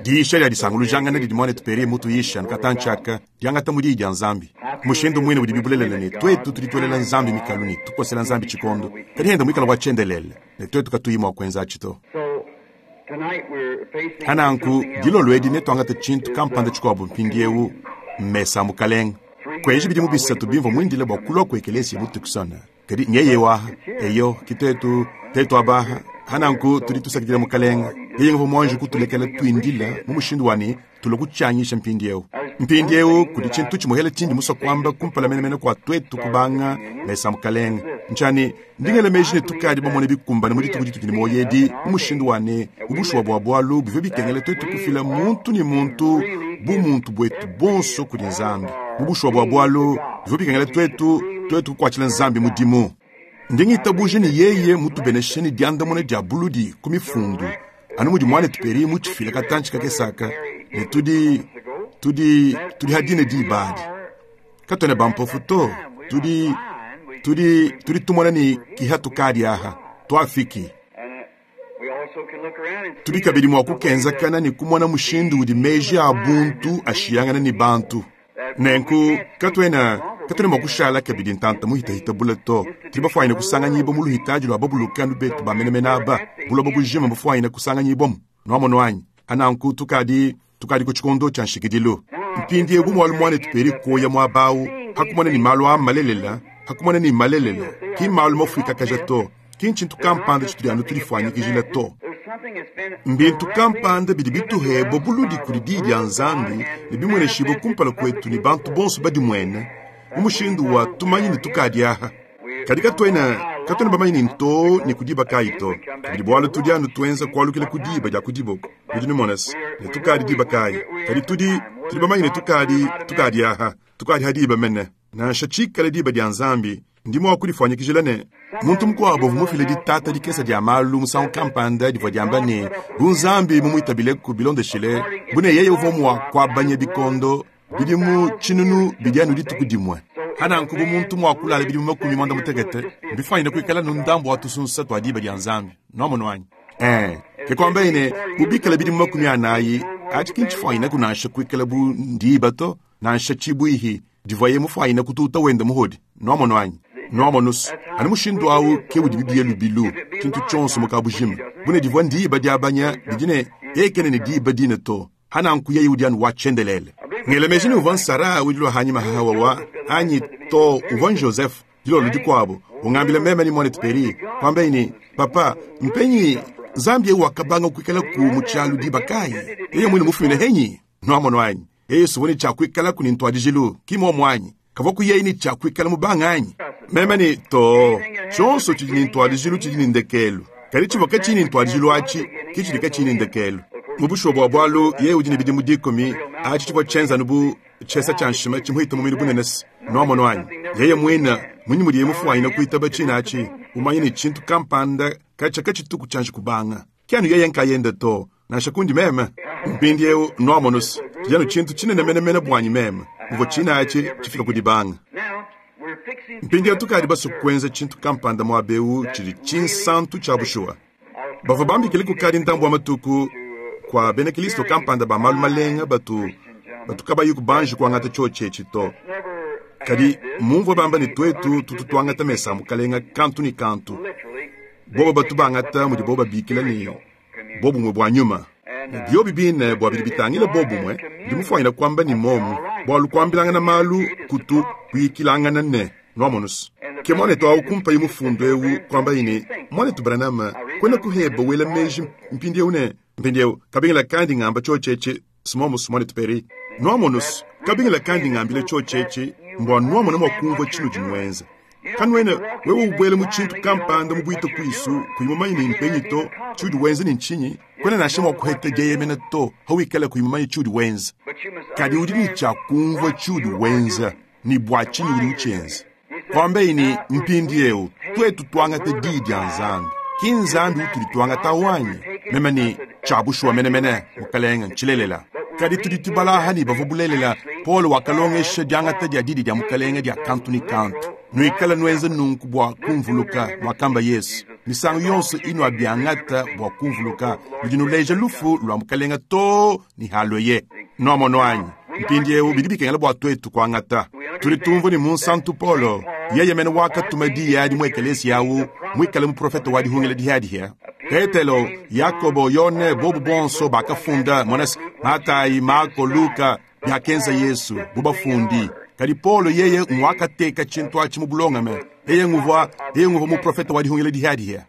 Diyisha dia disangulujangana didi muanetu Perry mutuyisha nkatantshi aka diangata mu Diyi dia Nzambi. Mushindu muine udibi bulelela ne tuetu tudi tuelela Nzambi mikalu ne tukosela Nzambi tshikondo, kadi enda muikala wa tshiendelele ne tuetu katuyi mua kuenza atshi to. Pa nanku dilolo edi netuangate tshintu kampanda tshikuabu mpindieu, mmesa a Mukalenge. Kuenji bidimu bisatu bimvua muindile bua kulua ku ekeleziya mu Tucson. Kadi nyeye waha, eyo, ki tuetu, tuetu abaha. Pa nanku tudi tusakidila Mukalenge. Yeye nguvua muanji kutulekela tuindila mu mushindu wa ne tulua kutshianyisha mpindieu. Mpindieu kudi tshintu tshimuhele tshindi musue kuamba kumpala menemene kua tuetu kubanga mesa a Mukalenge. Ntshia ne, ndi ngela meji ne tukadi bamone bikumbane mu dituku ditudi ne muoyo edi mu mushindu wa ne, mu bushuwa bua bualu bivua bikengela tuetu kufila muntu ne muntu bumuntu buetu buonso kudi Nzambi. Mu bushuwa bua bualu bivua bikengela tuetu tuetu kukuatshila Nzambi mudimu. Ndi ngitabuja ne yeye mutubeneshe ne diandamuna dia buludi ku Mifundu, anu mudi muanetu Perry mutshifile katantshi kakese aka, ne tudi, tudi, tudi ha dine diba adi. Katuena bampofu to, tudi, tudi, tudi tumona ne kiha tukadi aha, tuafiki. Tudi kabidi mua kukenzakana ne kumona mushindu udi meji a buntu ashiyangana ne bantu. Nenku katuena katuena mua kushala kabidi ntanta muhitahita bule to. Tudi bafuanyine kusanganyibua mu luhitadi lua babuluke anu betu ba menemene aba, buloba bujima bufuanyine kusanganyibuamu. Nuamonu anyi? Ananku tukadi tukadi ku tshikondo tshia nshikidilu. Mpindieu bu mualu muanetu Perry kuoya muaba au, pa kumona ne malu aa malelela, pa kumona ne malelela, ki mmalu mafuikakaja to, ki ntshintu kampanda tshitudi anu tudifuanyikijila to. Mbintu kampanda bidi bituhebua buludi kudi Diyi dia Nzambi ne bimueneshibue kumpala kuetu ne bantu bonso badimuene mu mushindu wa tumanyi ne tukadi aha. Kadi katuena katuena bamanye ne ntoo ne ku diba kayi to, kabidi bualu tudi anu tuenza kualukila ku diba dia ku diboko. Nudi numona se ne tukadi diba kayi, kadi tudi tudi bamanye ne tukadi tukadi aha, tukadi ha diba mene. Nansha tshikale diba dia Nzambi, ndi mua kudifuanyikijila ne muntu mukuabu uvua mufile ditata dikese dia malu musangu kampanda divua diamba ne, bu Nzambi mumuitabileku bilondeshile bu ne yeye uvua mua kuabanya bikondo bidimu tshinunu bidi anu dituku dimue. Pananku bu muntu mua kulala bidimu 60, mbifuanyine kuikala anu ndambu wa tusunsa tua diba dia Nzambi. Nuamonu anyi? Ee, ke kuambaye ne, bu bikala bidimu 40, atshi ki ntshifuanyineku nansha kuikala bu ndiba to, nansha tshibuihi divuaye mufuanyine kututa wenda muhodi. Nuamonu anyi? Nuamonu's, anu mushindu au ke udibi biye lubilu, tshintu tshionso mu kabujima. Bu ne divua ndiba diabanya didi ne yeye kena ne diba dine to. Hananku yeye udi anu wa tshiendelele. Ngela meji ne uvua Nsara udi hanyima ha Hawawa anyi to uvua Joseph dilolo dikuabu ungambila meme ne muanetu Perry kwambaye ne, Papa, mpenyi Nzambi eu wakabanga kuikalaku mu tshialu diba kayi? Yeye muine mufumine henyi? Nuamono anyi? Yeye suvua ne tshia kuikalaku ne ntuadijilu, ki muomu anyi? Kavua ku yeye ne tshia kuikala mubanga anyi? Meme ne, To, tshionso tshidi ne ntuadijilu tshidi ne ndekelu, kadi tshivua katshiyi ne ntuadijilu atshi ke tshidi katshiyi ne ndekelu. Mu bushuwa bua bualu, yeye udi ne bidimu dikumi, atshi tshivua tshienza anu bu tshiesa tshia nshima tshimuhita muminu bunene se. Nuamono anyi? Yeye muine, munyi mudiye mufuanyine kuitaba tshine atshi, umanye ne tshintu kampanda katshia katshituku tshianji kubanga? Ki anu yeye nkayende to, nansha kundi meme. Mpindieu, nuamonu's, tshidi anu tshintu tshinene menemene buanyi meme, muvua tshine atshi tshifika ku dibanga. Mpindieu tukadi basue kuenza tshintu kampanda muaba eu tshidi tshinsantu tshia bushuwa. Bavua bambikile kukadi ndambu wa matuku kua bena Kristo kampanda ba malu malenga batu batu kabayi kubanji kuangata tshiotshi etshi to. Kadi mumvua bamba ne tuetu tutu tuangata mesa a Mukalenga kantu ne kantu. Bobo batu bangata mudibo babikila ne bobumue bua nyuma. Ne biobi bine bua bidi bitangila bobumue, ndi mufuanyine kuamba ne momu, bualu kuambilangana malu kutu kuyikilangana ne, nuamonu's. Ke muanetu awu kumpaye mufundu ewu, kuambaye ne, Muanetu Branham, kuena kuheba wela meji mpindiewu ne, mpindiewu, kabingila kandi ngamba tshiotshi etshi, s'momus, muanetu Perry. Nuamonu's, kabingila kandi ngambila tshiotshi etshi, mbua nuamona mua kumvua tshinudi nuenza. Kanuena wewe ubuela mu tshintu kampanda mu buita kuisu kuyi mumanye ne mpenyi to tshiudi wenza ne ntshinyi, kuena nansha mua kuheta dieyemena to hawikala kuyi mumanye tshiudi wenza. Kadi udi ne tshia kumvua tshiudi wenza ne bua tshinyi udi utshienza. Kuambeyi ne, mpindieu tuetu tuangate Diyi dia Nzambi, ki Nzambi utudi tuangata awu anyi? Meme ne, tshia bushuwa menemene, Mukalenge, ntshilelela. Kadi tudi tubala aha ne bavua bulelela Paulo wakalongesha diangata dia Didi dia Mukalenge dia kantu ne kantu. Nuikale nuenza nunku bua kumvuluka, muakamba Yesu. Misangu yonso inuabiangata bua kumvuluka, nudi nuleja lufu lua Mukalenga too ne halueye. Nuamono anyi? Mpindieu bidi bikengela bua tuetu kuangata. Tudi tumvua ne Munsantu Paulo, yeye mene wakatuma diyi adi mu ekeleziya awu, muikale muprofete wa dihungila dihiadihia. Petelo, Yakobo, Yone, bobu bonso bakafunda, mona se, Matayi, Mako, Luka, biakenza Yesu, bu bafundi. Kadi Paulo yeye nguakateka tshintu atshi mu bulongame. Yeye nguvua, yeye nguvua muprofete wa dihungila dihiadihia.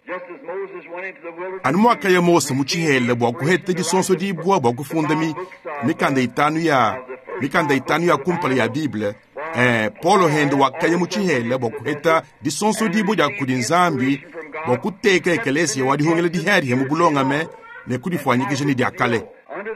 Anu muakaya Mose mu tshihela bua kuheta disonsodibua bua kufunda mi, mikanda itanu ya mikanda itanu ya kumpala ya Bible, eh, Paulo hende wakaya mu tshihela bua kuheta disonsodibua dia kudi Nzambi bua kuteka ekeleziya wa dihungila dihiadihia mu bulongame ne kudifuanyikija ne dia kale.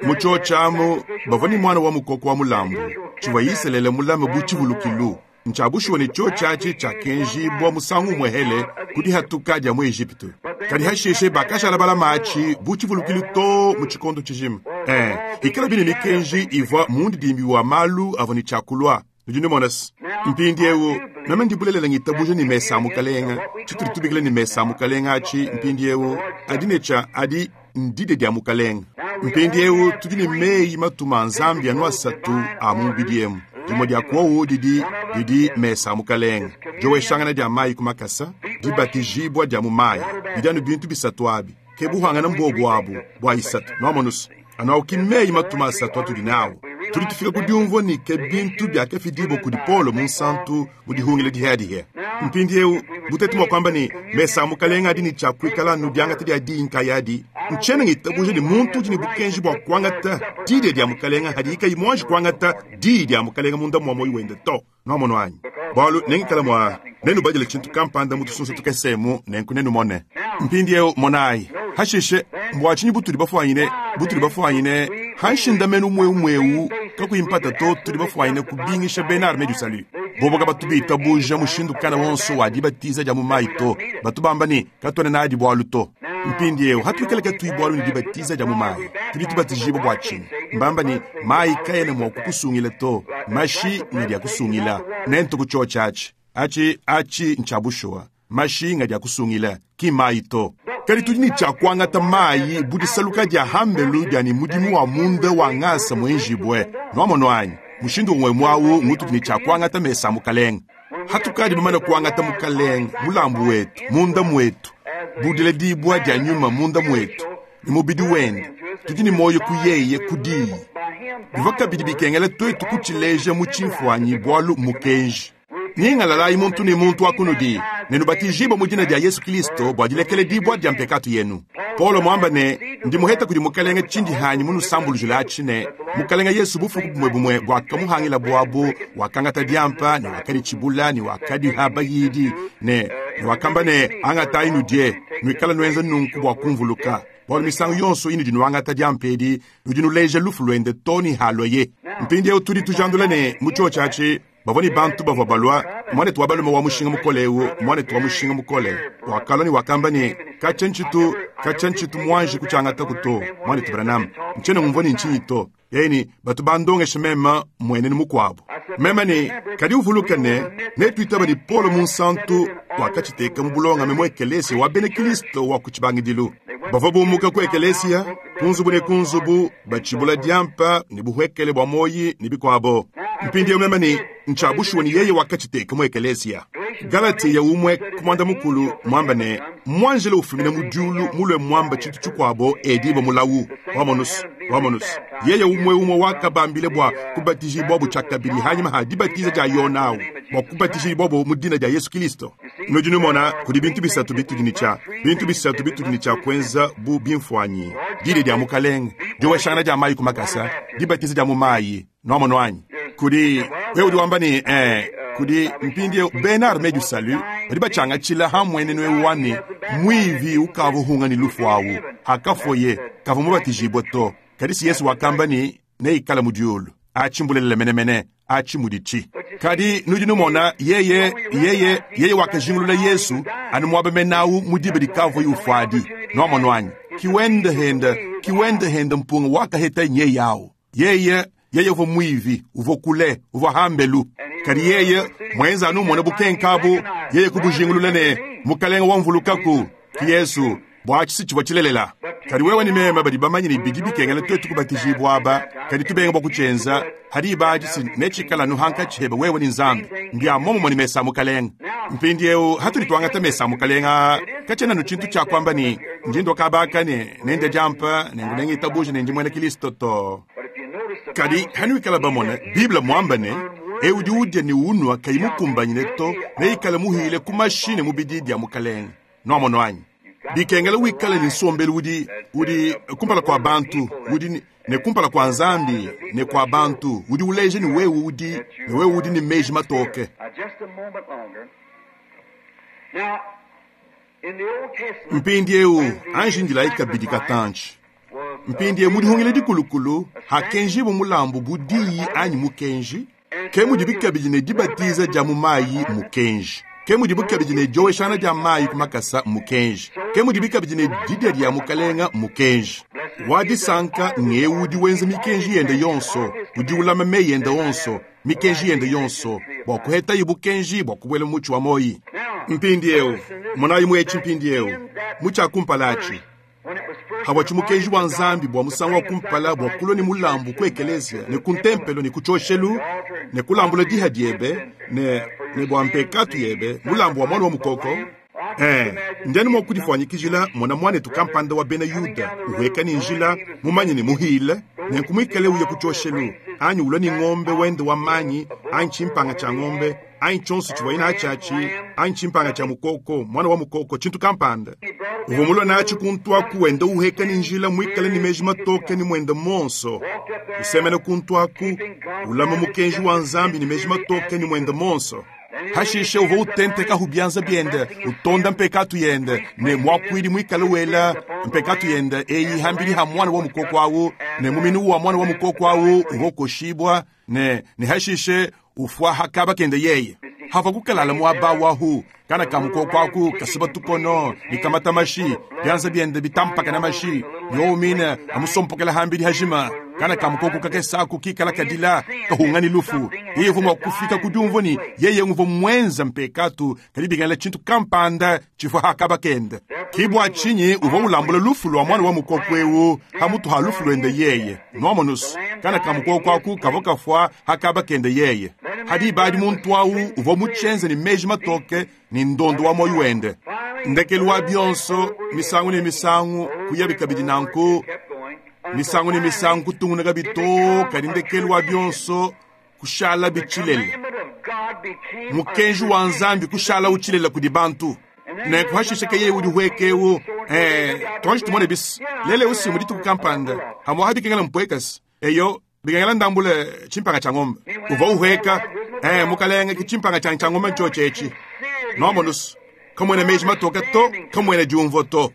Mu tshiotshi amu bavua ne muana wa mukoko wa mulambu, tshivua Isalele mulame bu tshivulukilu. Ntshia bushuwa ne tshiotshi atshi tshiakenjibua musangu umuehele ku dihatuka dia mu Ejipitu. Kadi hashishe bakashala balama atshi bu tshivulukilu too mu tshikondo tshijima. Ee, ikalabi ne mikenji ivua mundidimbi wa malu avua ne tshia kulua. Nudi numona se, mpindiewu, meme ndi bulelela ngitabuja ne mesa a Mukalenga, tshitudi tubikila ne mesa a Mukalenga atshi mpindiewu, adi ne tshia, adi ndidia dia Mukalenga. Mpindiewu tudi ne meyi matuma a Nzambi anu asatu a mu mubidi emu. Dimue dia kuowu didi, didi mesa a Mukalenga, dioweshangana dia mayi ku makasa, dibatijibua dia mu mayi. Bidi anu bintu bisatu abi. Ke buhangana mbuobu abu bua isatu. Nuamonu's? Anu au ki meyi matuma asatu atudi nawu. Tudi tufika ku diumvua ne ke bintu biakafidibua kudi Paulo Munsantu mu dihungila dihiadihia. Mpindieu, bu tuetu mua kuamba ne, mesa a Mukalenge adi ne tshia kuikala anu diangata dia diyi nkayadi, ntshiena ngitabuja ne muntu udi ne bukenji bua kuangata didia dia Mukalenge hadiye kayi muanji kuangata diyi dia Mukalenge munda mua muoyo wende to. Nuamonu anyi? Bualu nengikale mua nenubadile tshintu kampanda mu tusunsa tukese emu, nenku nenumone. Mpindieu monayi, hashishe, mbua tshinyi butudi bafuanyine, butudi bafuanyine ha nshindamenu umue umue eu, kakuyi mpata to, tudi bafuanyine kubingisha bena Armee du Salut. Bobo kabatu bitabuja mushindu kana wonso wa dibatiza dia mu mayi to, batu bamba ne, katuena nadi bualu to. Mpindieu hatuikale katuyi bualu ne dibatiza dia mu mayi, tudi tubatijibua bua tshinyi? Mbamba ne, mayi kaena mua kukusungila to, mashi ngadi akusungila. Nentuku tshiotshi atshi, atshi, atshi ntshia bushuwa. Mashi ngadi akusungila, ki mayi to. Kadi tudi ne tshia kuangata mayi bu disaluka dia hambelu dia ne mudimu wa munda wa ngasa muenjibue. Nuamonu anyi? Mushindu umue umue au ngutudi ne tshia kuangata mesa a Mukalenge. Hatukadi bamane kuangata Mukalenge, mulambu wetu, munda muetu, bu diledibua dia nyuma munda muetu, ne mubidi wende, tudi ne muoyo ku yeye ku diyi. Bivua kabidi bikengela tuetu kutshileja mu tshimfuanyi bualu mmukenji. Nyingalalayi muntu ne muntu wa kunudi, ne nubatijibue mu dina dia Yesu Kilisto bua dilekeledibua dia mpekatu yenu. Paulo muamba ne, Ndi muheta kudi Mukalenge tshindi hanyi munusambulujile atshi ne, Mukalenge Yesu bufuku bumue bumue buakamuhangila buabu, wakangata diampa ne wakaditshibula ne wakadiha bayidi ne, ne wakamba ne, Angatayi nudie, nuikale nuenza nunku bua kumvuluka. Bualu misangu yonso inudi nuangata diampa edi, nudi nuleja lufu luende too ne haluaye. Mpindieu tudi tujandula ne, mu tshiotshi atshi, Bavua ne bantu bavua balua, muanetu wa balume wa mushinga mukole eu, muanetu wa mushinga mukole, wakalua ne wakamba ne, Katshia ntshitu, katshia ntshitu muanji kutshiangataku to, muanetu Branham. Ntshiena ngumvua ne ntshinyi to. Yeye ne, Batu bandongesha meme mmuenenu mukuabu. Meme ne, Kadi uvuluke ne, netuitaba ne Paulo Munsantu wakatshiteka mu bulongame mu ekeleziya wa bena Kristo wa ku tshibangidilu. Bavua bumuka ku ekeleziya, ku nzubu ne ku nzubu, batshibula diampa ne buhuekele bua muoyi ne bikuabo. Mpindieu meme ne, ntshia bushuwa ne yeye wakatshiteka mu ekeleziya. Galatiya umue ku muanda mukulu muamba ne, muanjelo ufumina mu diulu mulue muamba tshintu tshikuabo edibua mulawu. Wamonus, wamonus. Yeye umue umue wakabambile bua kubatijibuabo tshiakabidi hanyima ha dibatiza dia Yona au, bua kubatijibuabo mu dina dia Yesu Kilisto. Nudi numona, kudi bintu bisatu bitudi ne tshia, bintu bisatu bitudi ne tshia kuenza bu bimfuanyi, didia dia Mukalenge, dioweshangana dia mayi ku makasa, dibatiza dia mu mayi. Nuamonu anyi? Kudi, wewe udi wamba ne, eh, kudi mpindieu bena Armee du Salut badi batshiangatshila ha mmuenenu eu wa ne, muivi ukavua uhunga ne lufu au, hakafuaye, kavua mubatijibue to. Kadi si Yesu wakamba ne, neikale mu diulu. Atshi mbulelela menemene, atshi muditshi. Kadi nudi numona, yeye, yeye, yeye wakajingulula Yesu anu muaba mene au mu diba dikavuaye ufuadi. Nuamonu anyi? Ki wende hende, ki wende hende mpunga wakaheta nyeye au. Yeye, yeye uvua muivi, uvua kule, uvua hambelu. Kadi yeye mwenza anu umona bukenka abu, yeye kubujingulula ne, Mukalenge wamvulukaku. Ki Yezu, bua atshi si tshivua tshilelela. Kadi wewe ne meme badi bamanye ne bidi bikengela tuetu kubatijibua aba, kadi tubenga bua kutshienza, ha diba adi si netshikale anu hankatshi hebe wewe ne Nzambi. Mbia muomumue ne mesa a Mukalenge. Mpindieu hatudi tuangata mesa a Mukalenge aa, katshiena anu tshintu tshia kuamba ne, ndi ndua kaba aka ne nendie diampa, nenku nengitabuja ne ndi muena Kilisto to. Kadi hanuikala bamone Bible muambe ne, Eu udi udia ne unua kayi mukumbanyine to, neikale muhile ku mashi ne mubidi bia Mukalenge. Nuamono anyi? Bikengela wikale ne nsombelu udi, udi kumpala kua bantu, udi ne kumpala kua Nzambi ne kua bantu, udi uleja ne wewe udi, ne wewe udi ne meji matoke. Mpindieu anji indilayi kabidi katantshi. Mpindieu mu dihungila dikulukulu hakenjibua mulambu bu diyi anyi mukenji, ke mudibi kabidi ne dibatiza dia mu mayi mukenji, ke mudibi kabidi ne dioweshangana dia mayi ku makasa mukenji, ke mudibi kabidi ne didia dia Mukalenga mukenji. Wa disanka ng'eu udi wenza mikenji yende yonso, udi ulama meyi ende onso, mikenji yende yonso, bua kuhetaye bukenji bua kubuela mu mutshi wa muoyi. Mpindieu, monayi mu etshi mpindieu, mu tshia kumpala atshi, havua tshimukenji wa Nzambi bua musangu wa kumpala bua kulua ne mulambu ku ekeleziya ne ku ntempelo ne ku tshioshelu ne kulambula diha diebe ne, ne bua mpekatu yebe mulambu wa muana wa mukoko. Eh, ndi anu mua kudifuanyikijila mona muanetu kampanda wa bena Yuda uhueka ne njila mumanye ne muhile, nenku muikale uya ku tshioshelu anyi ulua ne ngombe wende wa manyi anyi tshimpanga tshia ngombe anyi tshionso tshivuaye natshi atshi anyi tshimpanga tshia mukoko, muana wa mukoko, tshintu kampanda uvua mulue natshi kuntu aku, wenda uheka ne njila muikale ne meji matoke ne muende muonso, usemena kuntu aku, ulama mukenji wa Nzambi ne meji matoke ne muende muonso. Hashishe uvua utentekahu bianza biende, utonda mpekatu yende, ne muakuidi muikale wela mpekatu yende eyi hambidi ha muana wa mukoko awu, ne muminu wa muana wa mukoko awu uvua ukoshibua, ne, ne hashishe ufua ha kaba kende yeye. Havua kukalala muaba wahu, kana ka mukoko aku kasuba tukono ne kamata mashi, bianza biende bitampakana mashi, yowu mine amusompokela hambidi hajima. Kana ka mukoko kakese aku kikala kadila kahunga ne lufu. Yeye uvua mua kufika ku diumvua ne yeye uvua muenza mpekatu, kadi bikengela tshintu kampanda tshivua ha kaba kende. Ki bua tshinyi uvua ulambula lufu lua muana wa mukoko eu ha mutu ha lufu luende yeye. Nuamonusu, kana ka mukoko aku kavua kafua ha kaba kende yeye. Ha diba adi muntu au uvua mutshienze ne meji matoke ne ndondo wa muoyo wende. Ndekelu wa bionso, misangu ne misangu kuyabi kabidi nanku, misangu ne misangu kutungunuka to, kadi ndekelu wa bionso kushala bitshilele. Mukenji wa Nzambi kushala utshilela kudi bantu. Nenku hashishe ke yeye udi huekeu, tuanji tumone bis lele usi mu dituku kampanda hamwa habikengela mpuekasi eyo bikengela ndambule tshimpanga tshia ngombe uvua uhueka, mukalenge ki tshimpanga tshianyi tshia ngombe ntshiotshi etshi. Nuamonusu kamuena meji matoke to, kamuena diumvua to.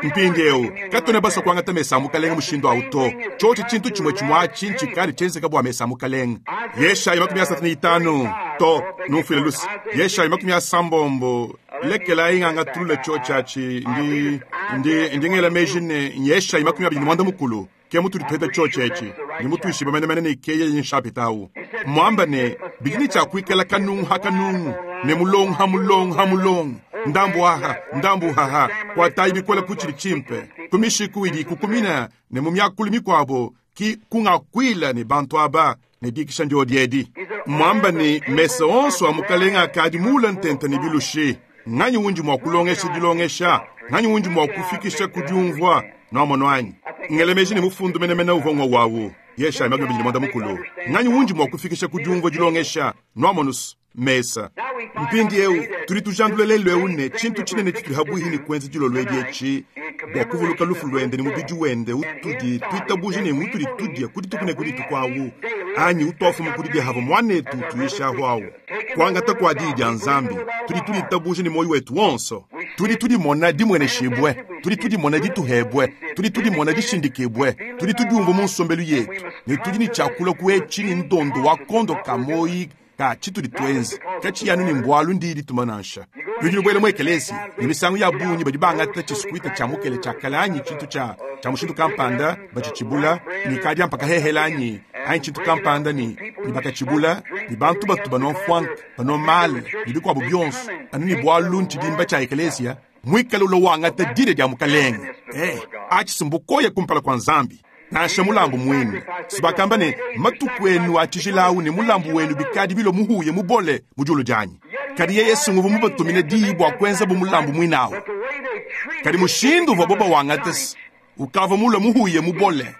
Mpindieu katuena basue kuangata mesa a Mukalenge mushindu au to. Tshiotshi tshintu tshimue tshimue atshi ntshikale tshienzeka bua mesa a Mukalenge. Yeshaya 35 to, numfuile luse. Yeshaya 60, lekelayi ngangatulule tshiotshi atshi. Ndi, ndi, ndi ngela meji ne Yeshaya 25 ke mutudi tupeta tshiotshi etshi. Ndi mutuishibue menemene ne ke yeye nshapita au. Muamba ne bidi ne tshia kuikala kanungu ha kanungu ne mulongo ha mulongo ha mulongo, ndambu aha ndambu haha, kuatayi bikole ku tshidi tshimpe, ku mishiku idi ikukumina ne mu miakulu mikuabo ki kungakuila ne bantu aba ne dikisha ndiodi edi. Muamba ne mesa onso a Mukalenge akadi muula ntenta ne bilushi. Nganyi undi mua kulongesha dilongesha? Nganyi undi mua kufikisha ku diumvua? Nuamono anyi? Ngela meji ne mufundu menemene uvua ngwa wawu. Yeshaya 25. Nganyi undi mua kufikisha ku diumvua dilongesha? Nuamonus mesa. Mpindieu tudi tujandula lelu eu ne tshintu tshinene tshitudi habuihi ne kuenza dilolo edi etshi bua kuvuluka lufu luende ne mubidi wende utudi tuitabuja ne mutudi tudia ku dituku ne ku dituku awu anyi utuafuma ku didia hava muanetu utuyishahu awu. Kuangata kua diyi dia Nzambi, tudi tuditabuja ne muoyo wetu wonso. Tudi tudimona dimueneshibue, tudi tudimona dituhebue, tudi tudimona dishindikibue, tudi tudiumvua mu nsombelu yetu ne tudi ne tshiakula ku etshi ne ndondo wa kondo ka muoyo ka tshitudi tuenza katshiyi anu ne mbualu ndiyi dituma nansha. Nudi nubuela mu ekeleziya ne misangu ya bungi badi bangata tshisukuita tshia mukele tshia kale anyi tshintu tshia tshia mushindu kampanda batshitshibula ne kadiampa kahehela anyi anyi tshintu kampanda ne ne bakatshibula ne bantu batu banua mfuanka banua male ne bikuabu bionso anu ne bualu ntshidimba tshia ekeleziya. Mwikale ulwa wangata dina dia Mukalenge. Eh, aci si mbukoya kumpala kua Nzambi. Nansha mulambu mwine. Si bakamba ne, Matuku enu a tshijila awu ne mulambu wenu bikadi bilua muhuya mubole mu diulu dianyi. Kadi yeye si nguvua mubatumine diyi bua kuenzabu mulambu muine awu. Kadi mushindu uvuabo bawangate si ukavua mulue muhuya mubole.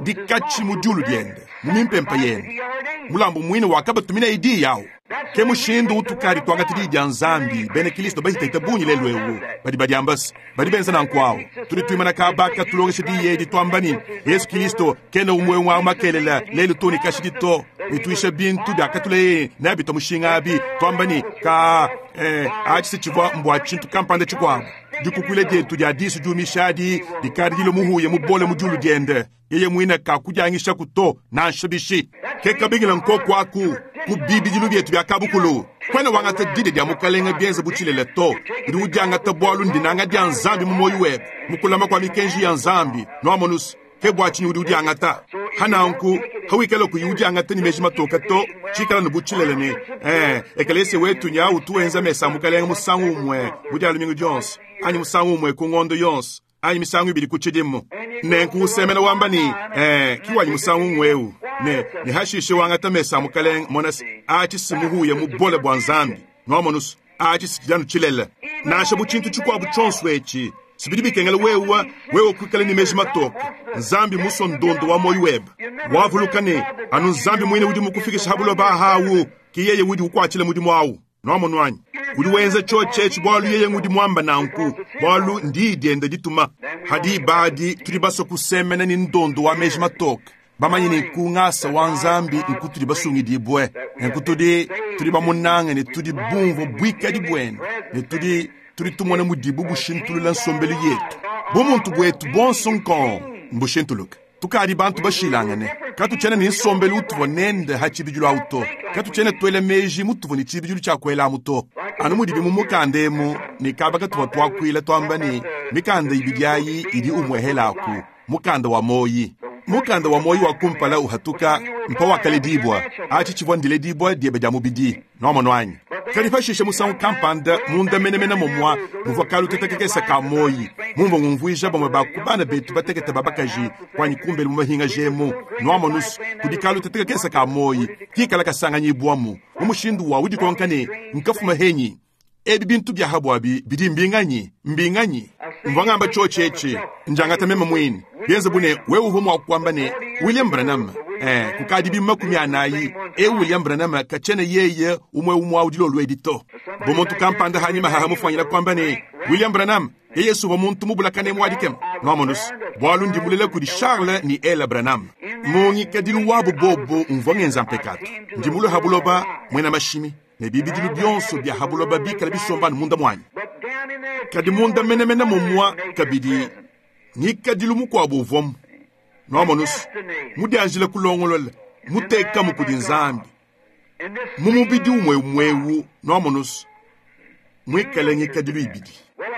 Dikatshi mu diulu diende, mu mimpempe yende. Mulambu muine wakabatuminaye diyi awu. Ke mushindu utukadi tuangata Diyi dia Nzambi. Bena Kilisto bahitahita bungi lelu eu badi badiamba se, badi benza nanku awu. Tudi tuimana kaba katulongesha Diyi edi, tuamba ne, Yesu Kilisto kena umue umue awu makelela, lelu too ne kashidi to, ne tuisha bintu biakatuleyeye nabi tua mushinga abi, tuamba ne, Kaa, ee, atshi se tshivua mbua tshintu kampanda tshikuabu. Dikukuila dietu dia disu diumisha adi dikadi dilue muhuya mubole mu diulu diende. Yeye muine kakudiangishaku to, nansha bishi. Ke kabingila nkoku aku ku bibidilu bietu bia kabukulu. Kuena wangata didia dia Mukalenge bienze bu tshilele to. Udi udiangata bualu ndinanga dia Nzambi mu muoyo webe, mu kulama kua mikenji ya Nzambi. Nuamonus? Ke bua tshinyi udi udiangata. Ha nanku, hawikala kuyi udiangata ne meji matoka to, tshikala ne bu tshilele ne, ee, ekelesia wetu nya utu wenza mesa a Mukalenge musangu umue mu Dia lumingu dionso, anyi musangu umue ku ngondo yonso, anyi misangu ibidi ku tshidimu. Nenku usemena wamba ne, Ee, ki wanyi musangu ng'wewu. Ne, ne hashishe wangata mesa a Mukalenge, mona se, atshi si muhuya mubole bua Nzambi. Nuamonus? Atshi si tshidi anu tshilele. Nansha bu tshintu tshikuabu tshionso etshi, si bidi bikengela wewe, wewe kuikala ne meji matoke. Nzambi mmusue ndondo wa muoyo webe. Wavuluka ne, anu Nzambi muine udi mukufikishe ha buloba aha awu, ki yeye udi ukuatshila mudimu awu. Nwamonu anyi? Udi wenza cyoci eci bwalu yeye ngudi mwamba nanku, bwalu ndiyi dyende dituma. Ha diba adi tudi baswe kusemena ne ndondo wa meji matooke, bamanye ne ku ngasa wa Nzambi nkutudi basungidibwe, nenku tudi, tudi bamunange ne tudi bumvwe bwikadi bwende, ne tudi, tudi tumona mudibu bushintulula nsombelu yetu. Bumuntu bwetu bwonso nkong mbushintuluke. Tukadi bantu bashilangane. Katutshiena ne nsombelu utuvua nende ha tshibidilu au to. Katutshiena tuela meji mutuvua ne tshibidilu tshia kuelamu to. Anu mudibi mu mukanda emu ne kaba katuvua tuakuila tuamba ne, mikanda ibidi ayi idi umuehelaku, mukanda wa muoyi. Mukanda wa muoyi wa kumpala uhatuka mpawakaledibua. Atshi tshivua ndiledibua diebe dia mubidi. Nwamonu anyi? Kadi pashishe musangu kampanda, munda menemene momwa muvua kaluteta kakese ka muoyi, mumvua ngumvuija bamue ba ku bana betu batekete ba bakaji kuanyi kumbelu mu mahingaja emu, nwamonus, kudi kaluteta kakese ka muoyi kikala kasanganyibuamu mu mushindu wa udikonka ne, Nkafuma henyi? Ebi bintu bia ha buabi bidi mbinganyi? Mbinganyi? Mvua ngamba tshiotshi etshi, ndiangata meme muine, bienze bu ne wewe uvua mua kuamba ne, William Branham, ee, kukadi bidimu 40, eu William Branham katshiena yeye umue umue au dilolo edi to. Bu muntu kampanda hanyima haha mufuanyina kuamba ne, William Branham, yeye si uvua muntu mubulakane mua dikema. Nwamonus, bualu ndi mulela kudi Charles ne Ella Branham. Mu ngikadilu wabu bobu mvua ngenza mpekatu. Ndi mulue ha buloba muena mashimi. Ne bibidilu bionso bia ha buloba bikala bisomba anu munda muanyi. Kadi munda menemene mumua kabidi ngikadilu mukuabu uvuamu, nuamonus, mudianjila kulongolola, mutekamu kudi Nzambi, mu mubidi umue umuewu, nuamonus, muikale ngikadilu ibidi.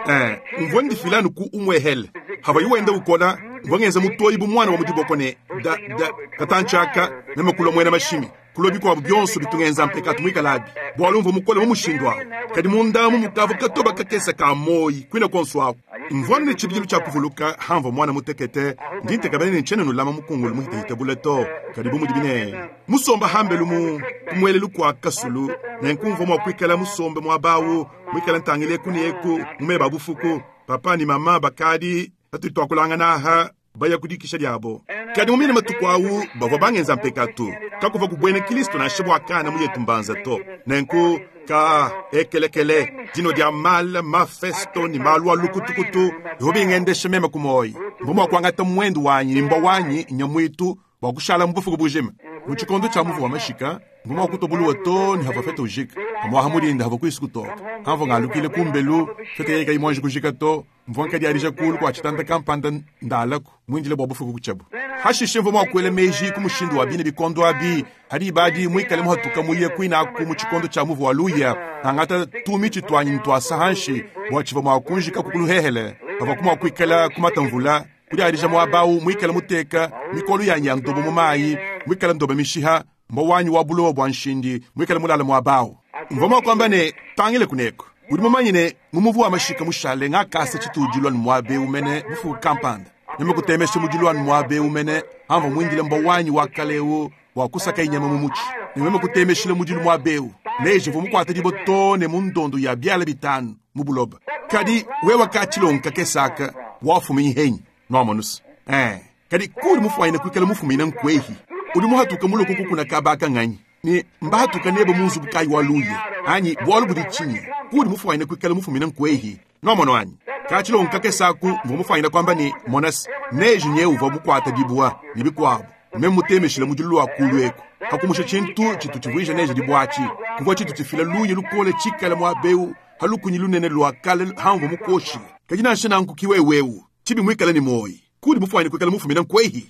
Eh, mvua ndifila anu ku umuehele. Havayi wenda ukola, mvua ngenza mutoyi bu muana wa mu diboko ne da, da, katantshi aka, meme kulua muena mashimi. Kulua bikuabu bionso bitu ngenza mpekatu muikalabi, bualu mvua mukole mu mushindu au. Kadi munda amu mukavua katoba kakese ka muoyi kuine kuonso aku. Mvua anu ne tshibidilu tshia kuvuluka hamvua muana mutekete, ndi ntekemena ne ntshiena nulama mukungulu muhitahite bule to, kadi bu mudibi ne, musomba hambelu mu ku muelelu kua kasulu, nenku mvua mua kuikala musombe muaba au, muikale ntangila eku ne eku mu meba a bufuku. Papa ne mama bakadi patudi tuakulangana aha baya ku dikisha diabo. Kadi mu mine matuku au bavua bangenza mpekatu, kakuvua ku buena Kilisto nansha bua kana mu yetu mbanza to. Nenku ka ekelekele dinua dia mala, mafesto ne malu a lukutukutu bivua bingendesha meme ku muoyo. Mvua mua kuangata muendu wanyi ne mbua wanyi nya muitu bua kushala mu bufuku bujima. Mu tshikondo tshia muvu wa mashika, mvua mua kutua buluwa too ne havua fete ujika. Pamuaha mu dinda havua kuisu kutoka. Pamvua ngalukile kumbelu, fete yeye kayi muanji kujika to, mvua nkadiadija kulu kua tshitanda kampanda ndalaku muindile bua bufuku kutshiabu. Hashishe mvua mua kuela meji ku mushindu wa bine bikondo abi, ha diba adi muikale muhatuka muye kuine aku mu tshikondo tshia muvu wa luya, ngangata tumitshi tuanyi ntuasa hanshi bua tshivua mua kunjikaku ku luhehele, pavuaku mua kuikala kumata mvula, kudiadija muaba au muikale muteka mikolo yanyi ya ndobo mu mayi, muikale ndobo mishiha, mbua wanyi wa bulowa bua nshindi muikale mulale muaba au. Mvua mua kuamba ne, Tangile kuneku. Udi mumanye ne, mu muvu wa mashika mushale ngakasa tshitudilu anu muaba eu mene bufuku kampanda. Meme kutemesha mudilu anu muaba eu mene amvua muindile mbua wanyi wa kale eu bua kusakaye nyama mu mutshi. Ne meme kutemeshila mudilu muaba eu. Neje uvua mukuate dibue too ne mu ndondo ya biala bitanu mu buloba. Kadi wewe katshilongo kakese aka, wafuminyi henyi? Nwamonus? Ee, kadi kuudi mufuanyine kuikala mufumine nkuehi? Udi muhatuke mulue kukukuna kaba aka nganyi? Ne mbahatuka nebe mu nzubu kayi wa luya? Anyi bualu budi tshinyi? Kuudi mufuanyine kuikala mufumine nkuehi? Nwamono anyi? Katshilongo kakese aku mvua mufuanyine kuamba ne, Monas, neji nyewu uvua mukuate dibua, ne bikuabu. Meme mutemeshile mudilu lua kulu eku. Hakumusha tshintu tshitu tshivuija neje dibua atshi, kuvua tshitu tshifila luya lukole tshikale muaba eu ha lukunyi lunene lua kale hamvua mukuoshile. Kadi nansha nanku ki wewe eu, tshibi muikale ne muoyi. Kuudi mufuanyine kuikala mufumine nkuehi?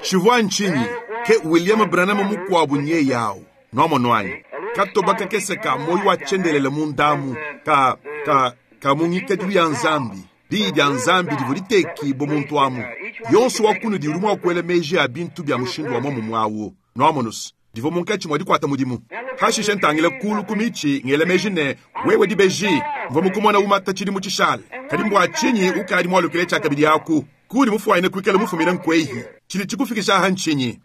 Tshivua ntshinyi? Ke William Branham mukuabu nyeye au. Nwamonu anyi? Katoba kakese ka muoyo wa tshiendelele mundamu, ka, ka, ka mu ngikadilu ya Nzambi. Diyi dia Nzambi divua ditekibue muntu amu. Yonso wa kunudi udi mua kuela meji a bintu bia mushindu wa muomumue au. Nwamonus? Divua munkatshi mua dikuata mudimu. Hashishe ntangila kulu ku mitshi ngela meji ne, Wewe dibeji, mvua mukumona umata tshidimu tshishale. Kadi mbua tshinyi ukadi mualukile tshiakabidi aku? Kuudi mufuanyine kuikala mufumine nkuehi. Tshidi tshikufikisha aha ntshinyi?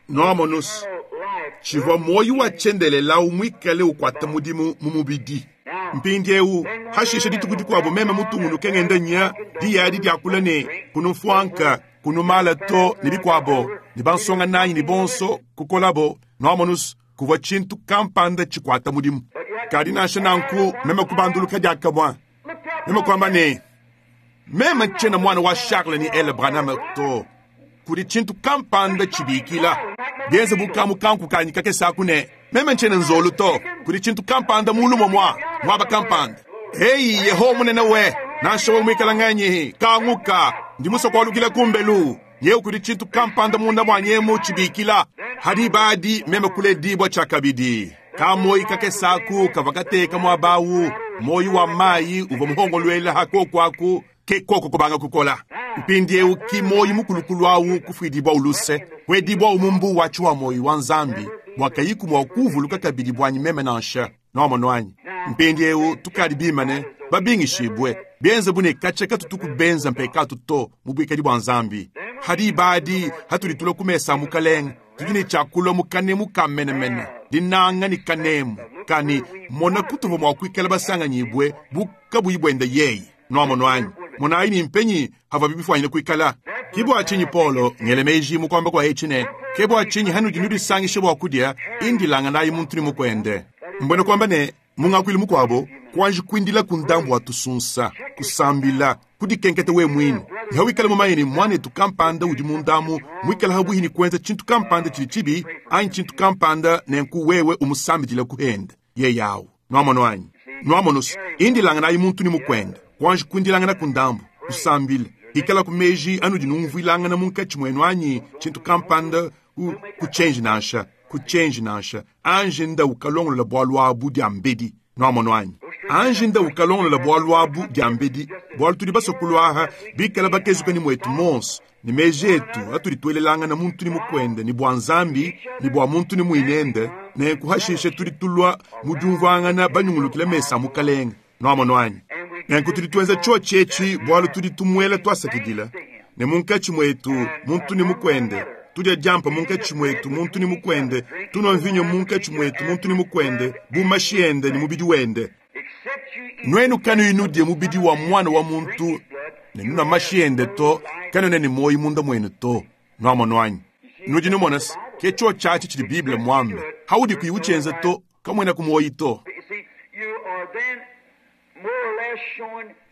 Nwamonus? Tshivua muoyo wa tshiendelele au muikale ukuata mudimu mu mubidi. Mpindieu, hashishe dituku dikuabo meme mutungunuke ngenda nya, diyi adi diakula ne, Kunumfuanka, kunumala to, ne bikuabo, ne bansonga nanyi ne bonso kukolabo, nwamonus, kuvua tshintu kampanda tshikuata mudimu. Kadi nansha nanku meme kubanduluka diakamue, meme kuamba ne, Meme ntshiena muana wa Charles ne Ella Branham to. Kudi tshintu kampanda tshibikila, bienze bu kamu kanku kanyi kakese aku ne, Meme ntshiena nzolu to. Kudi tshintu kampanda mulu momua, muaba kampanda. Eyi, Yehowa munene we, nansha wewe muikala nganyi, kanguka, ndi musue kualukila kumbelu. Nyewu kudi tshintu kampanda munda muanyi emu tshibikila. Ha diba adi meme kuledibua tshiakabidi. Kamoyi kakese aku kavua kateka muaba awu, muoyo wa mayi uvua muhongoluela ha koku aku, ke koko kubanga kukola. Mpindiewu ki muoyo mukulukulu awu kufuidibua luse, kuedibuawu mu mbuu wa tshiwa-muoyo wa Nzambi, bua kayiku mua kuuvuluka kabidi buanyi meme nansha. Nwamonu anyi? Mpindiewu tukadi bimane, babingishibue, bienze bu ne katshia katutuku benza mpekatu to mu buikadi bua Nzambi. Ha diba adi hatudi tulua ku mesa a Mukalenge, tudi ne tshia kulua mu kanemu ka menemene, dinanga ne kanemu ka ne, mona kutuvua mua kuikala basanganyibue bu kabuyi buende yeye. Nwamonu anyi? Monayi ne mpenyi havuabi bifuanyine kuikala. Ke bua tshinyi Paulo ngele meji mu kuamba kua etshi ne, Ke bua tshinyi hanudi nudisangisha bua kudia, indilanganayi muntu ne mukuende. Mbuena kuamba ne, mu ngakuilu mukuabo, kuanji kuindilaku ndambu wa tusunsa, kusambila, kudikenketa wewe muine, ne hawikala mumanye ne muanetu kampanda udi mundamu muikale habuihi ne kuenza tshintu kampanda tshidi tshibi anyi tshintu kampanda, nenku wewe umusambidilaku hende yeye awu. Nwamonu anyi? Nwamonu's, indilanganayi muntu ne mukuende, kuanji kuindilanganaku ndambu, kusambila, ikalaku meji anudi numvuilangana munkatshi muenu anyi tshintu kampanda, ku, kutshienji nansha, kutshienji nansha. Anji nda ukalongolola bualu abu diambedi. Nwamonu anyi? Anji nda ukalongolola bualu abu diambedi, bualu tudi basue kulua aha bikale bakezuke ne muetu muonso, ne meji etu atudi tuelelangana muntu ne mukuende ne bua Nzambi ne bua muntu ne muinende, nenku hashishe tudi tulua mu diumvuangana banyungulukile mesa a Mukalenge. Nwamonu anyi? Nenku tudi tuenza tshiotshi etshi bualu tudi tumuela tuasakidila, ne munkatshi muetu muntu ne mukuende, tudia diampa munkatshi muetu muntu ne mukuende, tunua mvinyo munkatshi muetu muntu ne mukuende, bu mashi ende ne mubidi wende. Nuenu kanuyi nudie mubidi wa Muana wa muntu ne nunua mashi ende to, kanuena ne muoyo munda muenu to. Nuamonu anyi? Nudi numona se, ke tshiotshi atshi tshidi Bible muambe. Haudi kuyi utshienza to, kamuenaku muoyo to.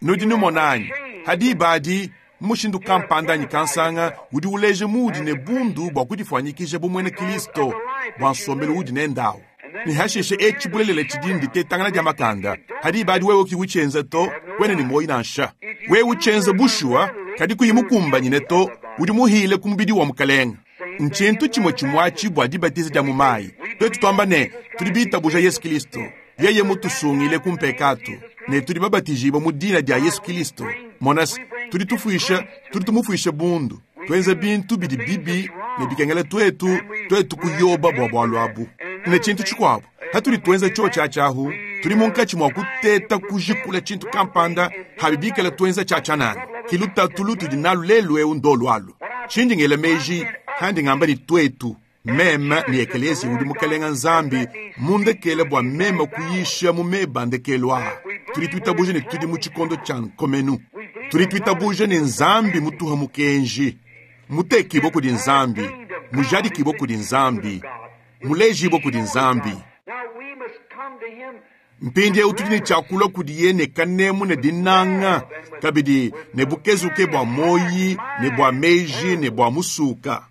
Nudi numona anyi? Ha diba adi, mu mushindu kampanda anyi kansanga, udi uleja muudi ne bundu bua kudifuanyikija bu muena Kilisto bua nsombelu uudi nende au. Ne hashishe etshi bulelela tshidi nditetangana dia makanda. Ha diba adi wewe kuyi utshienza to, kuena ne muoyo nansha. Wewe utshienza bushuwa, kadi kuyi mukumbanyine to, udi muhile ku mubidi wa Mukalenge. Ntshintu tshimue tshimue atshi bua dibatiza dia mu mayi. Tuetu tuamba ne, tudi bitabuja Yesu Kilisto, yeye mutusungile ku mpekatu, ne tudi babatijibue mu dina dia Yesu Kilisto. Mona se, tudi tufuisha, tudi tumufuisha bundu, tuenza bintu bidi bibi ne bikengela tuetu, tuetu kuyoba bua bualu abu. Ne tshintu tshikuabu, Patudi tuenza tshiotshi atshi ahu, tudi munkatshi mua kuteta kujikula tshintu kampanda habi bikala tuenza tshia tshianana. Ke lutatu lutudi nalu lelu eu ndolu alu. Tshindi ngela meji handi ngamba ne tuetu, meme ne ekeleziya udi Mukalenga Nzambi mundekele bua meme kuyisha mu meba a ndekelu aa. Tudi tuitabuja ne tudi mu tshikondo tshia nkomenu. Tudi tuitabuja ne Nzambi mutuha mukenji, mutekibue kudi Nzambi, mujadikibue kudi Nzambi, mulejibue kudi Nzambi. Mpindieu tudi ne tshia kulua kudiye ne kanemu ne dinanga, kabidi ne bukezuke bua muoyi ne bua meji ne bua musuka.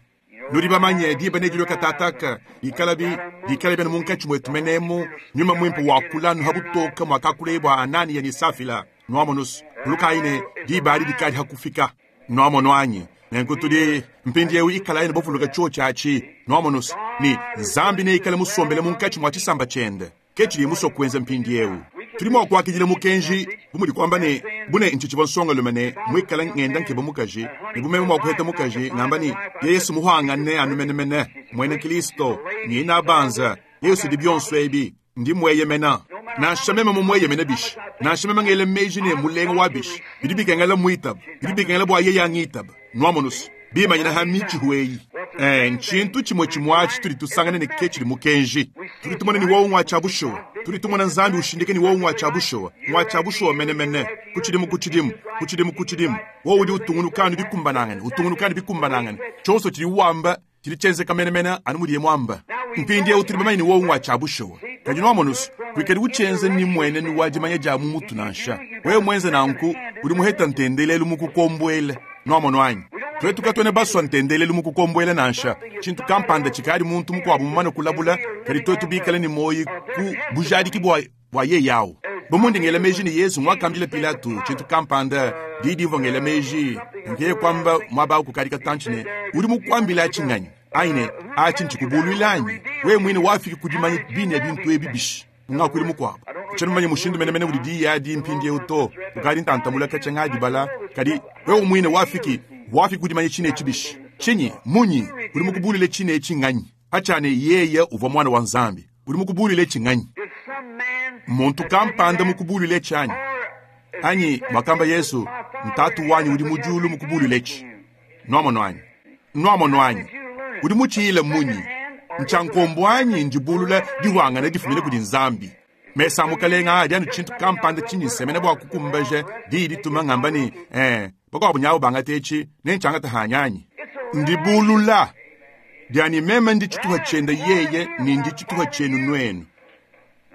Nudi bamanye, diba nedilue katataka, bikalabi bikale bena munkatshi muetu menemu, Nyuma Muimpe wakula anu ha butoke muakakuleye bua Anania ne Safila. Nuamonus, vulukayi ne, diba adi dikadi ha kufika. Nuamonu anyi? Nenku tudi mpindieu ikalayi ne bavuluka tshiotshi atshi. Nuamonus, ne Nzambi neikale musombele munkatshi mua tshisamba tshiende. Ke tshidiye musue kuenza mpindieu. Tudi mua kuakidila mukenji bu mudi kuamba ne, Bu ne ntshitshivua nsongalume ne muikale ngenda nkeba mukaji, ne bu meme mua kuheta mukaji, ngamba ne, Yesu muhuangane anu menemene, muena Kilisto, ne inabanza, Yesu udi bionso ebi, ndi mueyemena. Nansha meme mumueyemene bishi, nansha meme ngela meji ne mulenga wa bishi, bidi bikengela muitaba, bidi bikengela bua yeye angitaba. Nuamonus, bimanyina ha mitshihu eyi. Eh, ntshintu tshimue tshimue atshi tudi tusangana ne ke tshidi mukenji. Tudi tumona ne wowu ngua tshia bushuwa. Tudi tumona Nzambi ushindika ne wowu ngua tshia bushuwa, ngua tshia bushuwa menemene, ku tshidimu ku tshidimu, ku tshidimu ku tshidimu. Wowu udi utungunuka anu bikumbanangane, utungunuka anu bikumbanangane. Tshionso tshidiwu wamba tshidi tshienzeka menemene anu mudiye muamba. Mpindieu tudi bamanye ne wowu ngua tshia bushuwa. Kadi nuamonu's, kuikadi utshienza ne mmuenenu wa dimanya dia mu mutu nansha. Wewe muenze nanku, udi muheta ntendelelu mukukombuele. Nuamonu anyi? Tuetu katuena basua ntendelelu mukukombuele nansha, tshintu kampanda tshikadi muntu mukuabu mumane kulabula, kadi tuetu bikale ne muoyo ku bujadiki bua bua yeye au. Bu mundi ngela meji ne Yezu nguakambila Pilato tshintu kampanda, diyi dimvua ngela meji, nkeye kuamba muaba au kukadi katantshi ne, udi mukuambila atshi nganyi? Anyi ne, atshi ntshikubuluila anyi? Wewe muine wafiki ku dimanya bine bintu ebi bishi? Mu ngakuilu mukuabu, tshiena mumanye mushindu menemene udi diyi adi mpindieu to, ukadi ntantamula katshia ngadibala, kadi wewe muine wafiki, wafiki ku dimanya tshine etshi bishi? Tshinyi? Munyi? Udi mukubuluile tshine etshi nganyi? Atshia ne yeye uvua Muana wa Nzambi. Udi mukubuluile etshi nganyi? Muntu kampanda mukubuluile etshi anyi? Anyi, muakamba Yesu, Ntatu wanyi udi mu diulu mukubuluile etshi. Nuamonu anyi? Nuamonu anyi? Udi mutshiyile munyi? Ntshia nkombo anyi ndibulula dihuangana difumine kudi Nzambi? Mesa a Mukalenga adi anu tshintu kampanda tshindi nsemena bua kukumbaja diyi dituma ngamba ne, eh, bakuabu nyabu bangata etshi, nentshiangata hanyi anyi? Ndibulula dianyi meme ndi tshituha tshiende yeye ne ndi tshituha tshienu nuenu,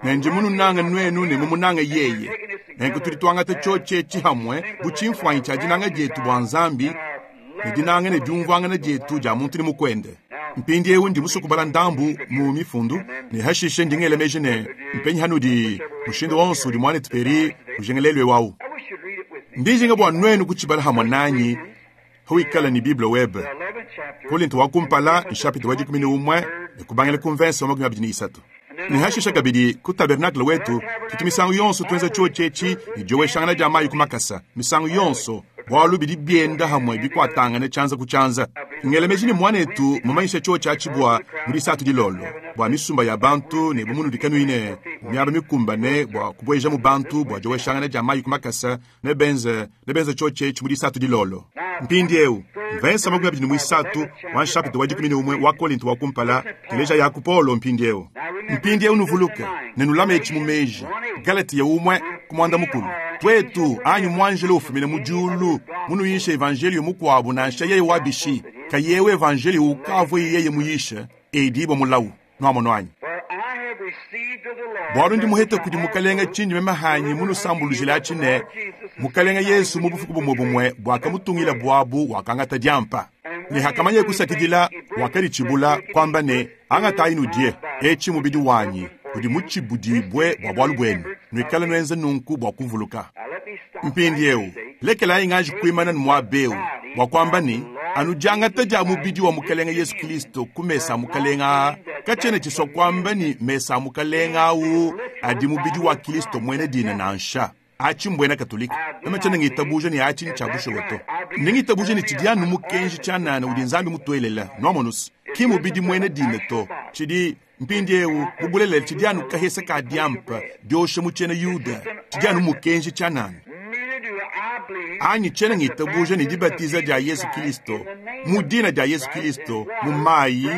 ne ndi mununange nuenu ne mumunange yeye. Nenku tudi tuangata tshiotshi etshi hamue bu tshimfuanyi tshia dinanga dietu bua Nzambi ne dinanga ne diumvuangana dietu dia muntu ne mukuende. Mpindieu ndi musue kubala ndambu mu Mifundu, ne hashishe ndi ngela meji ne mpenyi hanudi mushindu wonso udi muanetu Perry ujinga lelu eu au. Ndi njinga bua nuenu kutshibala hamue nanyi hawikala ne Bible webe. Kolinto wa kumpala nshapita wa 11 ne kubangila ku mvense wa 23. Ne hashishe kabidi ku tabernacle wetu tutu misangu yonso tuenza tshiotshi etshi ne dioweshangana dia mayi ku makasa misangu yonso, bualu bidi bienda hamue bikuatangane tshianza ku tshianza. Ngela meji ne muanetu mumanyisha tshiotshi atshi bua mu disatu dilolo bua misumba ya bantu ne bu munudi kanuyi ne miaba mikumbane bua kubuejamu bantu bua dioweshangana dia mayi ku makasa, nebenze nebenze tshiotshi etshi mu disatu dilolo. Mpindieu mvensa 23 wa nshapita wa 11 wa Kolinto wa kumpala, teleja yaku Paulo mpindieu. Mpindieu nuvuluke ne nulame etshi mu meji, Galatia umue ku muanda mukulu, tuetu anyi muanjelo ufumina mu diulu munuyishe evanjelio mukuabu nansha yeye wa bishi, kayewu evanjelio ukavua yeye muyishe, edibua mulawu. Nuamonu anyi? Bualu ndi muhete kudi Mukalenga tshindi meme hanyi munusambulujile atshi ne, Mukalenga Yesu mu bufuku bumue bumue buakamutungila buabu wakangata diampa, ne hakamanye kusakidila wakaditshibula, kuamba ne, Angatayi nudie, etshi mubidi wanyi udi mutshibudibue bua bualu buenu, nuikale nuenza nunku bua kuvuluka. Mpindieu lekelayi nganji kuimana muaba eu bua kuamba ne, anu diangata dia mubidi wa Mukalenge Yesu Kristo ku mesa a Mukalenge aa katshiena tshisua kuamba ne mesa a Mukalenge au adi mubidi wa Kristo muena dina nansha. Atshi mbuena Katolika. Meme tshiena ngitabuja ne atshi ntshia bushuwa to. Ndi ngitabuja ne tshidi anu mukenji tshianana udi Nzambi mutuelela. Nuamonus, ki mubidi muena dina to. Tshidi. Mpindiewu, mu bulelela tshidi anu kahesa ka diampa diosha mu tshiena Yuda, tshidi anu mukenji tshianana. Anyi tshiena ngitabuja ne dibatiza dia Yezu Kilisto mu dina dia Yezu Kilisto mu mayi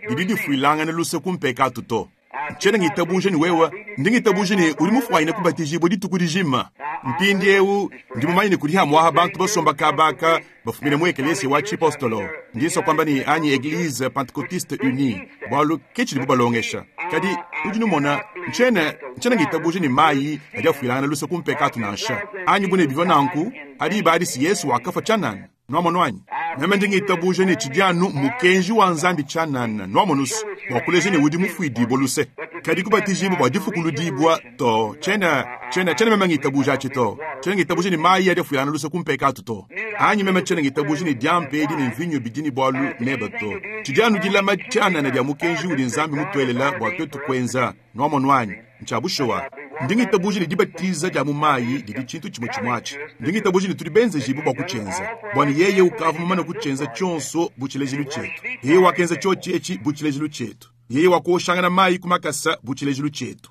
didi difuilangana luse ku mpekatu to. Ntshiena ngitabuja ne wewe, ndi ngitabuja ne udi mufuanyine kubatijibua dituku dijima. Mpindiewu ndi mumanye ne kudi hamuaha bantu basomba kaba aka bafumine mu ekelesia wa tshipostolo, ndi nsua kuamba ne anyi Eglise Pentecotiste Unie, bualu ke tshidibu balongesha. Kadi udi numona, ntshiena, ntshiena ngitabuja ne mayi adi afuilangana luse ku mpekatu nansha, anyi bu ne bivua nanku, ha diba adi si Yesu wakafua tshianana. Nwamonu anyi? Meme ndi ngitabuja ne tshidi anu mukenji wa Nzambi tshianana, nwamonu's, bua kuleja ne udi mufuidibue luse. Kadi kubatijibua bua difukuludibua, to, tshiena, tshiena, tshiena meme ngitabuja atshi to. Tshiena ngitabuja ne mayi adi afuilangana luse ku mpekatu to. Anyi meme tshiena ngitabuja ne diampa edi ne mvinyo bidi ne bualu nebe to. Tshidi anu dilama tshianana dia mukenji udi Nzambi mutuelela bua tuetu kuenza. Nwamonu anyi? Ntshia bushuwa. Ndi ngitabuja ne dibatiza dia mu mayi didi tshintu tshimue tshimue atshi. Ndi ngitabuja ne tudi benzejibue bua kutshienza, bua ne yeye ukavua mumane kutshienza tshionso bu tshilejilu tshietu. Yeye wakenza tshiotshi etshi bu tshilejilu tshietu. Yeye wakuoshangana mayi ku makasa bu tshilejilu tshietu.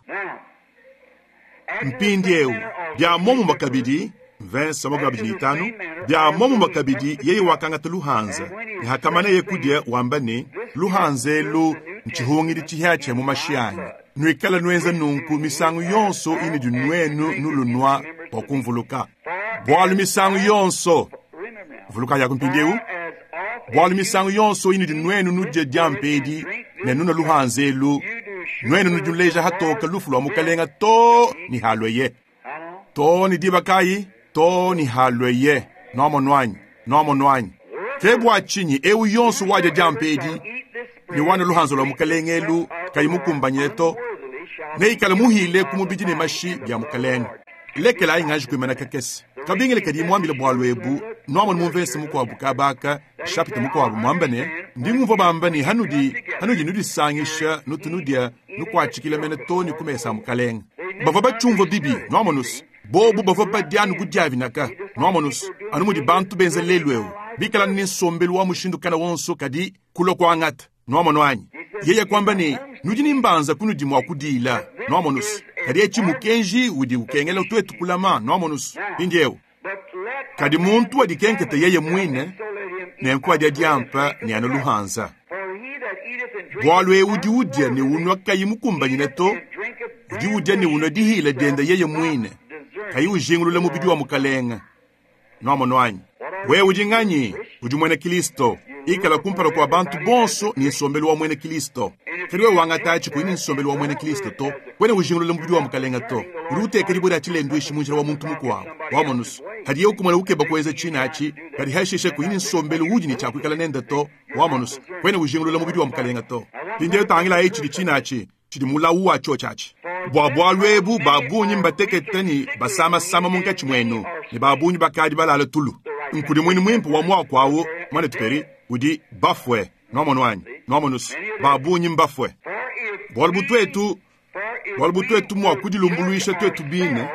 Mpindieu, bia muomumue kabidi, mvese wa 25, bia muomumue kabidi yeye wakangata luhanza, ne hakamaneye kudia wamba ne, Luhanza elu ntshihungidi tshihiatshia mu mashi anyi. Nuikale nuenza nunku misangu yonso inudi nuenu nulunua bua kumvuluka. Bualu misangu yonso, vuluka yaku mpindieu, bualu misangu yonso inudi nuenu nudia diampa edi ne nunua luhanza elu, nuenu nudi nuleja hatoka lufu lua Mukalenga too ne halueye. Too ne diba kayi? Too ne halueye. Nuamonu anyi? Nuamonu anyi? Ke bua tshinyi eu yonso wadia diampa edi ne wanua luhanza lua Mukalenge elu kayi mukumbanyine to, neikale muhile ku mubidi ne mashi bia Mukalenge. Lekelayi nganji kuimana kakese. Kabingila kadi muambile bualu ebu, nuamonu mu mvese mukuabu kaba aka, nshapita mukuabu, muamba ne, Ndi ngumvua bamba ne hanudi, hanudi nudisangisha nutu nudia nukuatshikila mene too ne ku mesa a Mukalenge. Bavua batshiumvua bibi, nuamonu's. Bobu bavua badia anu bu diavinaka, nuamonu's, anu mudi bantu benza lelu eu, bikala anu ne nsombelu wa mushindu kana wonso kadi kulua kuangata. Nuamonu anyi? Yeye kuamba ne, Nudi ne mbanza kunudi mua kudiila, nuamonu's, kadi etshi mukenji udi ukengela tuetu kulama, nuamonu's. Mpindieu, kadi muntu adikenketa yeye muine, nenku adia diampa ne anua luhanza. Bualu eu udi udia ne unua kayi mukumbanyine to, udi udia ne unua dihila diende yeye muine, kayi ujingulula mubidi wa Mukalenge. Nuamonu anyi? Wewe udi nganyi? Udi muena Kilisto. Ikala kumpala kua bantu bonso ne nsombelu wa muena Kilisto. Kadi wewe wangata atshi kuyi ne nsombelu wa muena Kilisto to, kuena ujingulula mubidi wa Mukalenge to. Udi uteka dibue dia tshilenduishi mu njila wa muntu mukuabu. Wamonu's, hadiye ukumona ukeba kuenza tshine atshi, kadi hashishe kuyi ne nsombelu udi ne tshia kuikala nende to. Wamonu's, kuena ujingulula mubidi wa Mukalenge to. Mpindieu tangilayi tshidi tshine atshi. Tshidi mulawu wa tshiotshi atshi. Bua bualu ebu ba bungi mbatekete ne basamasama munkatshi muenu, ne ba bungi bakadi balale tulu. Nkudimuinu muimpe wa muaku au, muanetu Perry, udi bafue. Nuamonu anyi? Nuamonu's, ba bungi mbafue. Bualu bu tuetu, bualu bu tuetu mua kudilumbuluisha tuetu bine,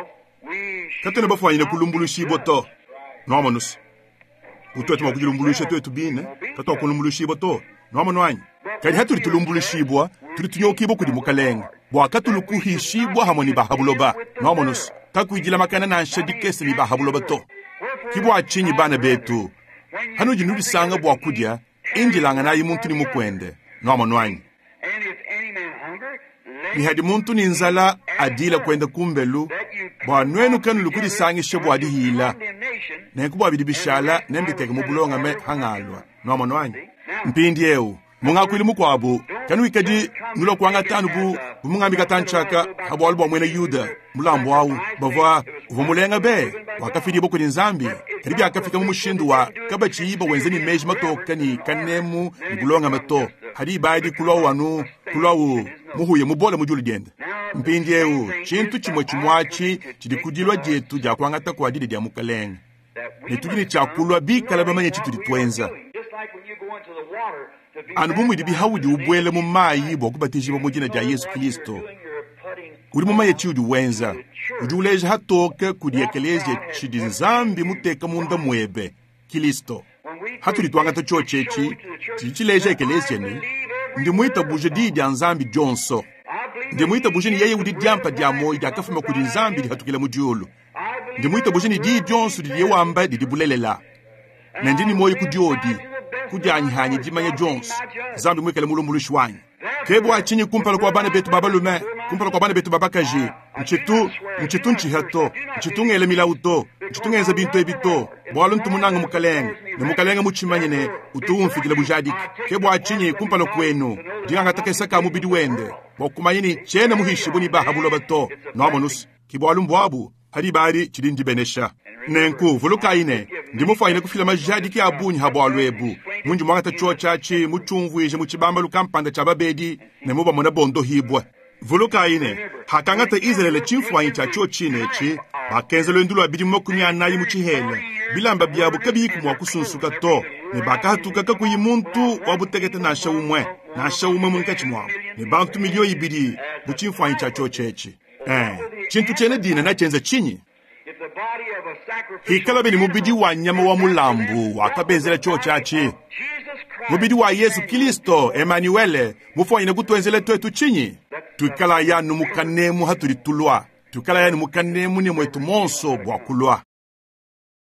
katuena bafuanyine kulumbuluishibua to. Nuamonu's, bu tuetu mua kudilumbuluisha tuetu bine, katuakulumbuluishibua to. Nuamonu anyi? Kadi hatudi tulumbuluishibua, tudi tunyokibua kudi Mukalenge, bua katulu kuhishibua hamue ne ba ha buloba. Nuamonu's, kakuidilamakana nansha dikese ne ba ha buloba to. Ke bua tshinyi, bana betu, hanudi nudisanga bua kudia, indilanganayi muntu ne mukuende. Nuamonu anyi? Ne hadi muntu ne nzala, adila kuenda kumbelu, bua nuenu kanulu kudisangisha bua dihila. Nenku bua bidi bishala nembiteke mu bulongame hangalua. Nuamonu anyi? Mpindieu, mu ngakuilu mukuabu, kanuikadi nulua kuangata anu bu, bu mungambi katantshi aka ha bualu bua muena Yuda, mulambu au bavua uvua mulenga be, wakafidibua kudi Nzambi, kadi biakafika mu mushindu wa kabatshiyi bawenza ne meji matoke ne kanemu ne bulongame to, hadi ibadi kuluawu anu kuluawu muhuye mubole mu diulu diende. Mpindieu, tshintu tshimue tshimue atshi tshidi ku dilua dietu dia kuangata kua didia dia Mukalenge, ne tudi ne tshia kulua bikale bamanye tshitudi tuenza. Anu bu mudibi haudi ubuela mu mayi bua kubatijibua mu dina dia Yezu Kilisto, udi mumanye tshiudi wenza. Udi uleja hatoke kudi ekeleziya tshidi Nzambi muteka munda muebe, Kilisto. Hatudi tuangata tshiotshi etshi, tshidi tshileja ekeleziya ne, Ndi mwitabuje Diyi dya Nzambi dyonso. Ndi mwitabuje ne Yeye udi Dyampa dya mwoyi dyakafuma kudi Nzambi dihatukila mu dyulu. Ndi mwitabuje ne Diyi dyonso didiye wamba didi bulelela. Ne ndi ne mwoyi ku dyodi, ku dyanyi hanyi dimanya dyonso, Nzambi mwikale mulumbuluishi wanyi. Ke bwa tshinyi kumpala kwa bana betu ba balume, kumpala kwa bana betu ba bakaji, ntshitu, ntshitu ntshiha to, ntshitu ngela milawu to, ntshitu ngenza bintu ebi to, bwalu ntu munange Mukalenge, ne Mukalenge mutshimanye ne utu umfikila bujadiki. Ke bwa tshinyi kumpala kwenu, ndi ngangata kesa ka mubidi wende, bwa kumanya ne tshiena muhishibue ne ba ha buloba to. Nwamonu's, ke bwalu mbwabu. Ha diba adi tshidi ndibenesha. Nenku, vulukayi ne, ndi mufwanyine kufila majadiki a bungi ha bwalu ebu, mundi mwangata cyoci aci mucyumvwije mu cibambalu kampanda cya babedi ne mubamona bondohibwe. Vulukayi ne, hakangata Izalele cimfwanyi cya cyocine eci, bakenza lwendu lwa bidimu 40 mu cihela, bilamba byabu kabiyiku mwa kusunsuka to, ne bakahatuka kakuyi muntu wa butekete nansha umwe, nansha umwe munkaci mwabu, ne bantu miliyo ibidi bu cimfwanyi cya cyoci eci. Ee, tshintu tshiena dina natshienza tshinyi? Hikalabi ne mubidi wa nyama wa mulambu wakabenzela tshiotshi atshi, mubidi wa Yesu Kilisto, Emanuele, mufuanyine kutuenzela tuetu tshinyi? Tuikalayi anu mu kanemu hatudi tulua, tuikalayi anu mu kanemu ne muetu monso bua kulua.